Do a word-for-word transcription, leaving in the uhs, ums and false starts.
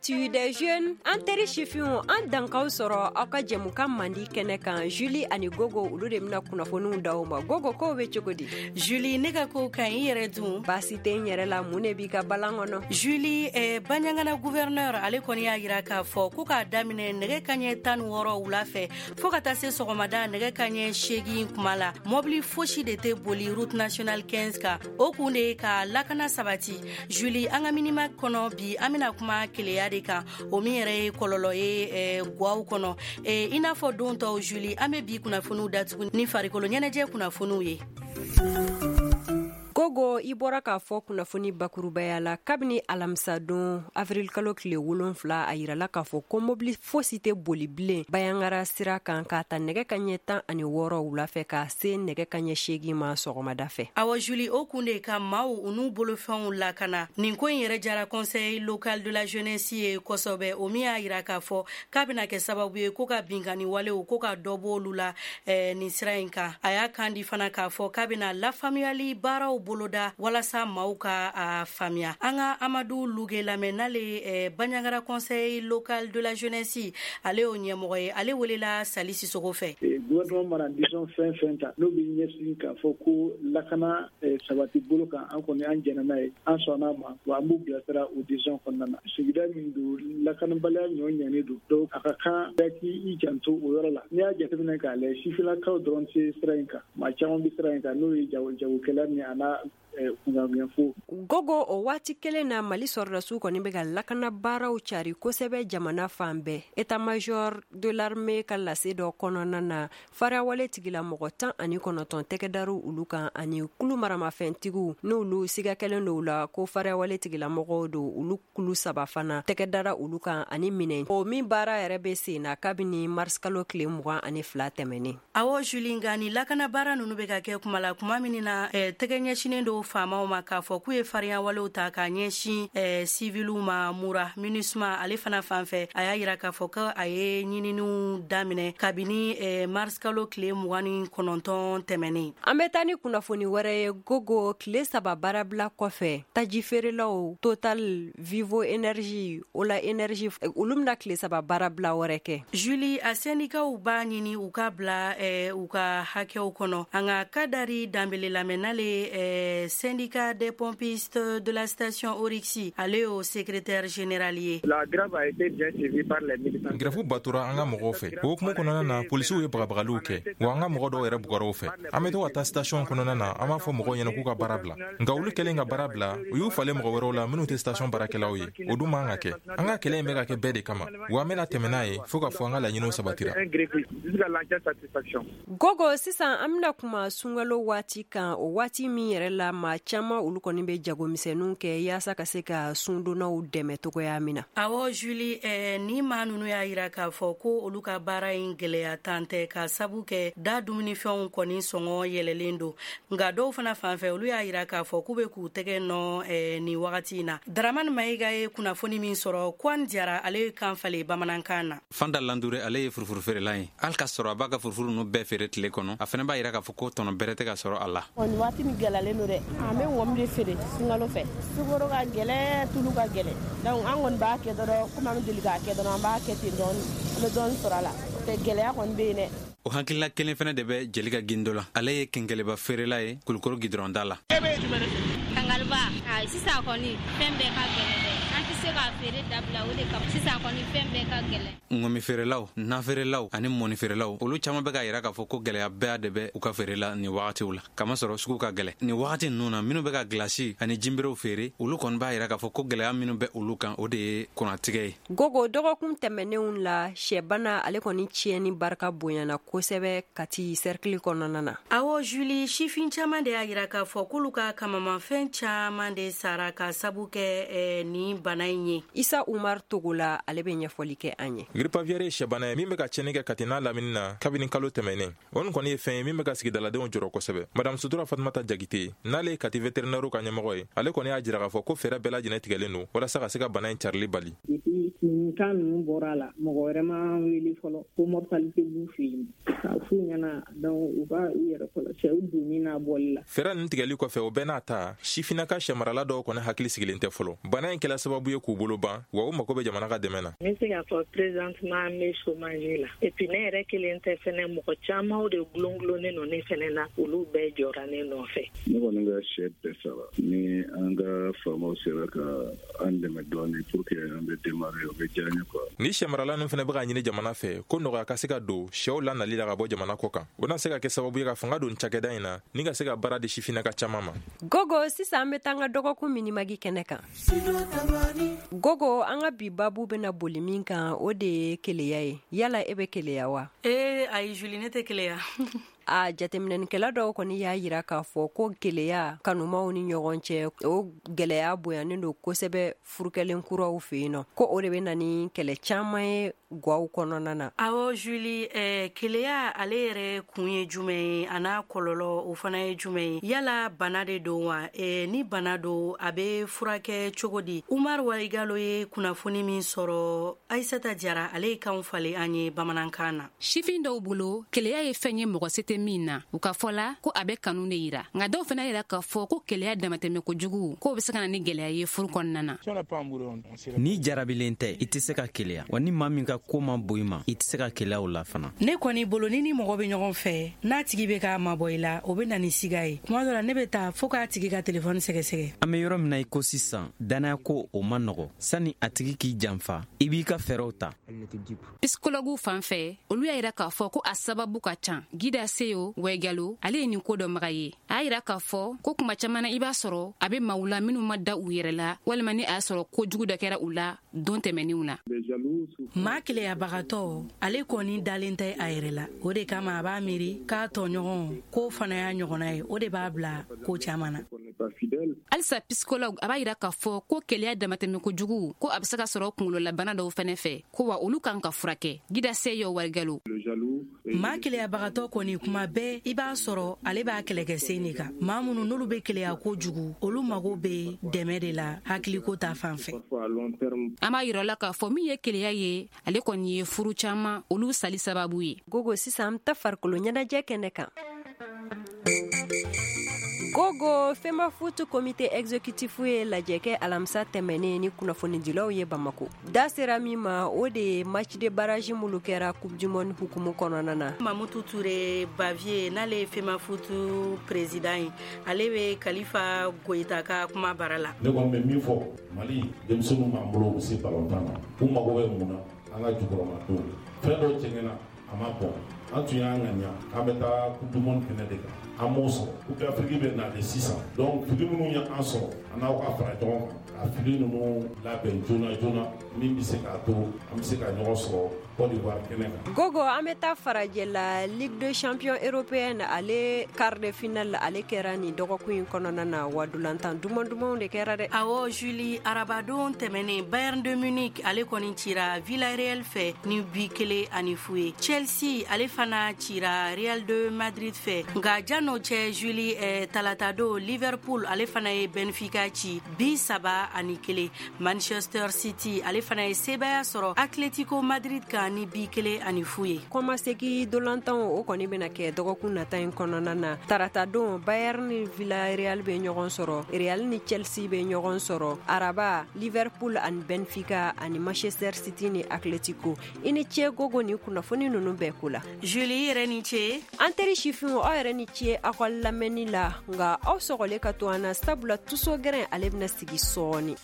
L'actu des jeunes. An teri sifinw, an dankaw sɔrɔ aw ka jɛmukan mandi kɛnɛ kan. Julie ani Gogo, olu de bɛna kunnafoniw d'aw ma. Gogo, kow bɛ cogo di? Julie, ne ka ko ka ɲi, i yɛrɛ dun? Baasi tɛ n yɛrɛ la. Mun de b'i ka balan kɔnɔ? Julie, eh, Bandiagara gouverneur, ale kɔni y'a yira k'a fɔ ko k'a daminɛ nɛgɛ kaɲɛ tan ni wɔɔrɔ wula fɛ fɔɔ ka taa se sɔgɔmada nɛgɛ kaɲɛ seegin kuma la, mɔbili fosi de tɛ boli route nationale quinze kan. O kun de ye ka lakana sabati. Julie, an ka minima kɔnɔ bi, an bena kuma keleya de kan, o min yɛrɛ ye kɔlɔlɔ ye eh, gwaw kɔnɔ. eh, i n'a fɔ don tɔw, Julie, an be bi kunnafoniw datugu ni farikolo ɲɛnajɛ kunnafoniw ye. Gogo, i bɔra k'a fɔ kunnafoni bakurubaya la, kabini alamisadon avril kalo tile wolonfila, a yirala k'a fɔ ko mobili fosi tɛ boli bilen Bandiagara sira kan, k'a ta nɛgɛ ka ɲɛ tan ani wɔɔrɔ wula fɛ k'a se nɛgɛ ka ɲɛ seegin ma sɔgɔmada fɛ. Awɔ Julie, o kun de ka maaw u n'u bolofɛnw lakana. Nin ko in yɛrɛ jara Conseil local de la jeunesse ye kosɛbɛ, o min y'a yira k'a fɔ k'a bɛna kɛ sababu ye ko ka binkani walew ko ka dɔ b'olu la eh, nin sira in kan. A y'a kan di fana k'a fɔ k'a bɛna lafaamuyali baaraw boloda walasa maaw ka a faamuya. An ka Amadu Luge lamɛn, n'ale eh, Bandiagara Conseil local de la jeunesse, ale y'o ɲɛmɔgɔ ye. Ale welela Sali Sisogo fɛ. Gouvernement mana décision fɛn fɛn ta, n'o bɛ ɲɛsin k'a fɔ ko lakana sabati bolo kan, an kɔni an jɛnna n'a ye, an sɔnna ma, wa an b'u bilasira o décision kɔnɔna na. Sigida min don, lakanabaliya ɲɔ ɲɛnen don, donc a ka kan bɛɛ k'i janto o yɔrɔ la. N'i y'a jateminɛ k'a lajɛ, sifinnakaw dɔrɔn tɛ sira in kan, maa caman bɛ sira in kan, n'o ye jagokɛla ni a n'a kunkanfo. Gogo, o waati kelen na, Mali sɔrɔdasiw kɔni bɛ ka lakana baaraw cari kosɛbɛ jamana fan bɛɛ. État major de l'armée ka lase dɔ kɔnɔna na, farawale tigilamɔgɔ tan ani kɔnɔntɔn tɛgɛ dar'u olu kan, ani kulu maramafɛntigiw n'olu siga kɛlen don u la ko farawale tigilamɔgɔw don, olu kulu saba fana tɛgɛ dara olu kan, ani minɛn o min baara yɛrɛ bɛ sen na kabini mars kalo tile mugan ani fila tɛmɛnen. Awɔ Julie, nka ni lakana baara ninnu bɛ ka kɛ kuma la kuma min na, eh, tɛgɛ ɲɛsinnen don faamaw ma k'a fɔ k'u ye farinya walew ta k'a ɲɛsin eh, siviliw ma Mura. MINUSMA, ale fana fan fɛ, a y'a yira k'a fɔ ko a ye ɲininiw daminɛ kabini eh, mars kalo tile mugan ni kɔnɔntɔn tɛmɛnen. An bɛ taa ni kunnafoni wɛrɛ ye. Gogo, tile saba baarabila kɔfɛ, taji feerelaw Total, Vivo Energy, Ola Energy, olu bɛna tile saba baarabila wɛrɛ kɛ. Julie, a sɛndikaw b'a ɲini u ka bila eh, u ka hakɛw kɔnɔ. An ka Kadari Danbele lamɛn, n'ale eh, syndicat des pompistes de la station Oryx, ale y'o secrétaire général ye. La grève a été bien suivie par les militants. Grève batora an ka mɔgɔw fɛ. O hukumu kɔnɔna na, polisiw ye bagabagaliw kɛ, wa an ka mɔgɔ dɔw yɛrɛ bugɔra o fɛ. An bɛ to ka taa station kɔnɔna na, an b'a fɔ mɔgɔw ɲɛna k'u ka baara bila, nka olu kɛlen ka baara bila, u y'u falen mɔgɔ wɛrɛw la minnu tɛ station baarakɛlaw ye. O dun man ka kɛ. An ka kɛlɛ in bɛ ka kɛ bɛɛ de kama, wa an bɛna tɛmɛ n'a ye fɔɔ ka fɔ an ka laɲiniw sabatira. Jusqu'à l'entière satisfaction. Gogo, sisan an bɛna kuma sunkalo waati kan, o waati min yɛrɛ la maa caman olu kɔni bɛ jagomisɛnninw kɛ yaasa ka se ka sundonnaw dɛmɛ togoya min na. Awɔ Julie, eh, ni maa ninnu y'a yira k'a fɔ ko olu ka baara in gwɛlɛya tan tɛ, ka sabu kɛ da dumunifɛnw kɔni sɔngɔ yɛlɛlen don. Nka dɔw fana fan fɛ, olu y'a yira k'a fɔ k'u be k'u tɛgɛ nɔ eh, nin wagati in na. Daramani Mayiga ye kunnafoni min sɔrɔ, Kwan Jara, ale ye kan falen bamanankan na. Fanta Landure, ale ye furufuru feerela ye. Hali ka sɔrɔ a b'a ka furufuru ninnu bɛɛ feere tile kɔnɔ, a fɛnɛ b'a yira k'a fɔ ko tɔnɔ bɛrɛ tɛ ka sɔrɔ a la. Nin waati min gɛlɛyalen don dɛ. An bɛ ŋɔmi de feere sunkalo fɛ. Sukaro ka gɛlɛ, tulu ka gɛlɛ, donc an kɔni b'a kɛ dɔrɔn komi an bɛ deli k'a kɛ dɔrɔn, an b'a kɛ ten dɔɔni, an bɛ dɔɔni sɔrɔ a la. O tɛ, gɛlɛya kɔni bɛ yen dɛ. O hakilila kelen fɛnɛ de bɛ Jelika Gindo la. Ale ye kenkɛlɛba feerela ye Kulukoro gidɔrɔnda la. Kangaliba, sisan kɔni fɛn bɛɛ ka gɛlɛn dɛ. An tɛ se ka feere dabila, o de kama sisan kɔni fɛn bɛɛ ka gɛlɛn. Ŋɔmi feerelaw, nafeerelaw ani mɔni feerelaw, olu caman bɛ k'a yira k'a fɔ ko gɛlɛya bɛɛ de bɛ u ka feere la nin wagatiw la, kamasɔrɔ sugu ka gɛlɛ nin wagati ninnu na. Minnu bɛ ka gilasi ani jinberew feere, olu kɔni b'a yira k'a fɔ ko gɛlɛya minnu bɛ olu kan, o de ye kurantigɛ ye. Gogo, dɔgɔkun tɛmɛnenw la, sɛbana ale kɔni tiɲɛni barika bonyana kosɛbɛ Kati sɛrikili kɔnɔna na. Awɔ Julie, sifin caman de y'a yira k'a fɔ k'olu ka kamamafɛn caman de sara ka sabu kɛ eh, nin bana in ye. Isa Umar Togola, ale bɛ ɲɛfɔli kɛ an ye. Grippe aviaire ye sɛbana ye min bɛ ka tiɲɛni kɛ Kati n'a lamini na kabini kalo tɛmɛnen. O nin kɔni ye fɛn ye min bɛ ka sigidaladenw jɔrɔ kosɛbɛ. Madame Sutura Fatumata Jagite, n'ale ye Kati vétérinaire ka ɲɛmɔgɔ ye, ale kɔni y'a jira k'a fɔ ko fɛɛrɛ bɛɛ lajɛlen tigɛlen don walasa ka se ka bana in carili bali. Depuis Nin kan ninnu bɔra a la, mɔgɔ wɛrɛ ma wele fɔlɔ ko mortalité b'u fɛ yen. K'a f'u ɲɛna donc u ka u yɛrɛ kɔlɔsi u donni n'a bɔli la. Fɛɛrɛ ninnu tigɛli kɔfɛ, o bɛɛ n'a ta, sifinnaka sɛmarala dɔw kɔni hakili sigilen tɛ fɔlɔ. Bana in kɛla sababu ye k'u bolo ban, wa u mago bɛ jamana ka dɛmɛ na. N bɛ se k'a fɔ présentement n bɛ chômage la. Et puis ne yɛrɛ kelen tɛ fɛnɛ, mɔgɔ caman de gulongulonnen don ne fɛnɛ na, olu bɛɛ jɔra ne nɔfɛ. Ne kɔni ka sɛ bɛɛ sara. Ni an ka faamaw sera ka an dɛmɛ dɔɔni pour que an bɛ démarrer, o bɛ diya n ye quoi. Ni sɛmarala ninnu fana bɛ ka ɲini jamana fɛ ko nɔgɔya ka se ka don sɛw lanali la ka bɔ jamana kɔ kan. O na se ka kɛ sababu ye ka fanga don cakɛda in na ni ka se ka baara di sifinnaka caman ma. Gogo, sisan an bɛ taa an ka dɔgɔkun minimagi kɛnɛ kan. Gogo, an ka bi babu bɛna boli min kan, o de ye keleya ye. Yala e bɛ keleya wa? Ee ayi Julie, ne tɛ keleya. A jateminɛnikɛla dɔw kɔni y'a yira k'a fɔ ko keleya kanumaw ni ɲɔgɔn cɛ, o gɛlɛya bonyanen don kosɛbɛ furukɛlen kuraw fɛ yen nɔ, ko o de bɛ na ni kɛlɛ caman ye gwaw kɔnɔna na. Awɔ Julie, eh, keleya ale yɛrɛ kun ye jumɛn ye, a n'a kɔlɔlɔ o fana ye jumɛn ye? Yala bana de don wa? Eh, ni bana don, a bɛ furakɛ cogo di? Umar Waigalo ye kunnafoni min sɔrɔ, Aissata Jara ale ye kanw falen an ye bamanankan na. Sifin dɔw bolo, keleya ye fɛn ye mɔgɔ se tɛ min na. U ka fɔ la ko a bɛ kanu de yira, nka dɔw fana yira k'a fɔ ko keleya damatɛmɛ kojugu k'o bɛ se ka na ni gɛlɛya ye furu kɔnɔna na. Ni jarabilen tɛ, i tɛ se ka keleya, wa ni maa min ka ko ma bon i ma, i tɛ se ka keleya o la fana. Ne kɔni bolo, ni ni mɔgɔ bɛ ɲɔgɔn fɛ, n'a tigi bɛ k'a mabɔ i la, o bɛ na ni siga ye. Tuma dɔ la ne bɛ taa fo k'a tigi ka telefɔni sɛgɛsɛgɛ. An bɛ yɔrɔ min na i ko sisan, danaya ko o ma nɔgɔ. Sani a tigi k'i janfa, i b'i ka fɛɛrɛw ta. Pisikɔlɔguw fan fɛ, olu y'a yira k'a fɔ ko a sababu ka ca. Gida Seyo Waigalo, ale ye nin ko dɔnbaga ye. A y'a yira k'a fɔ ko kuma caman na, i b'a sɔrɔ a bɛ maaw la minnu ma da u yɛrɛ la, walima ni a y'a sɔrɔ kojugu dɔ kɛra u la don tɛmɛnenw na. Maa keleyabagatɔ, ale kɔni dalen tɛ a yɛrɛ la, o de kama a b'a miiri k'a tɔɲɔgɔn k'o fana y'a ɲɔgɔnna ye, o de b'a bila ko caman na. Halisa psychologue a b'a yira k'a fɔ ko keleya damatɛmɛ kojugu ko a bɛ se ka sɔrɔ kunkololabana dɔw fɛnɛ fɛ, ko wa olu kan ka furakɛ. Gida Seyo Waigalo. Maa keleyabagatɔ kɔni, kuma bɛɛ i b'a sɔrɔ ale b'a kɛlɛkɛsen de kan. Maa minnu n'olu bɛ keleya kojugu, olu mago bɛ dɛmɛ de la hakiliko ta fan fɛ. An b'a yira la k'a fɔ min ye keleya ye, ale kɔni ye furu caman olu sali sababu ye. Gogo, sisan an bɛ taa farikolo ɲɛnajɛ kɛnɛ kan. Gogo, Femafoot comité exécutif ye lajɛ kɛ alamisa tɛmɛnen ni kunnafonidilaw ye Bamako. Da sera min ma, o de ye match de barrage minnu kɛra Coupe du Monde hukumu kɔnɔna na. Mamutu Ture Bavier, n'ale ye Femafoot président ye, ale bɛ Kalifa Goyita ka kuma bara la. Ne kɔni bɛ min fɔ, Mali denmisɛnninw b'an bolo, u bɛ se balontan na, u mago bɛ mun na? An ka jukɔrɔmadon fɛn dɔw tiɲɛna, a ma bɔn. An tun y'an ŋaniya k'an bɛ taa Coupe du Monde kɛnɛ de kan, an m'o sɔrɔ. Coupe d'Afrique bɛ nalen sisan, donc fili minnu ye an sɔrɔ, an n'aw ka fara ɲɔgɔn kan ka fili ninnu labɛn joona joona, min bɛ se k'a to an bɛ se ka ɲɔgɔn sɔrɔ Côte d'Ivoire kɛnɛ kan. Gogo, an bɛ taa farajɛ la. Ligue des champions européenne, ale quart de finale ale kɛra nin dɔgɔkun in kɔnɔna na, wa dolantan duman dumanw de kɛra dɛ. Awɔ Julie, arabadon tɛmɛnen, Bayern de Munich ale kɔni cira Villarreal fɛ ni bi kelen ani fu ye. Chelsea ale fana cira Real de Madrid fɛ. Nka jan'o cɛ Julie, eh, talatadon Liverpool ale fana ye Benfica ci bi saba ani kelen. Manchester City ale fana ye sebaaya sɔrɔ Atletico Madrid kan ni bi kelen ani fu ye. Kɔmasegi dolantanw o kɔni bɛna kɛ dɔgɔkun nata in kɔnɔna na. Taratadon, Bayern ni Villarreal bɛ ɲɔgɔn sɔrɔ, Real ni Chelsea bɛ ɲɔgɔn sɔrɔ. Araba, Liverpool ani Benfica ani Manchester City ni Atletico. I ni ce Gogo ni kunnafoni ninnu bɛɛ ko la. Julie, yɛrɛ ni ce. An teri sifinw, aw yɛrɛ ni ce aw ka lamɛnni la, nka aw sɔgɔlen ka to an na, sabula tuso gɛrɛn ale bɛna sigi sɔɔni.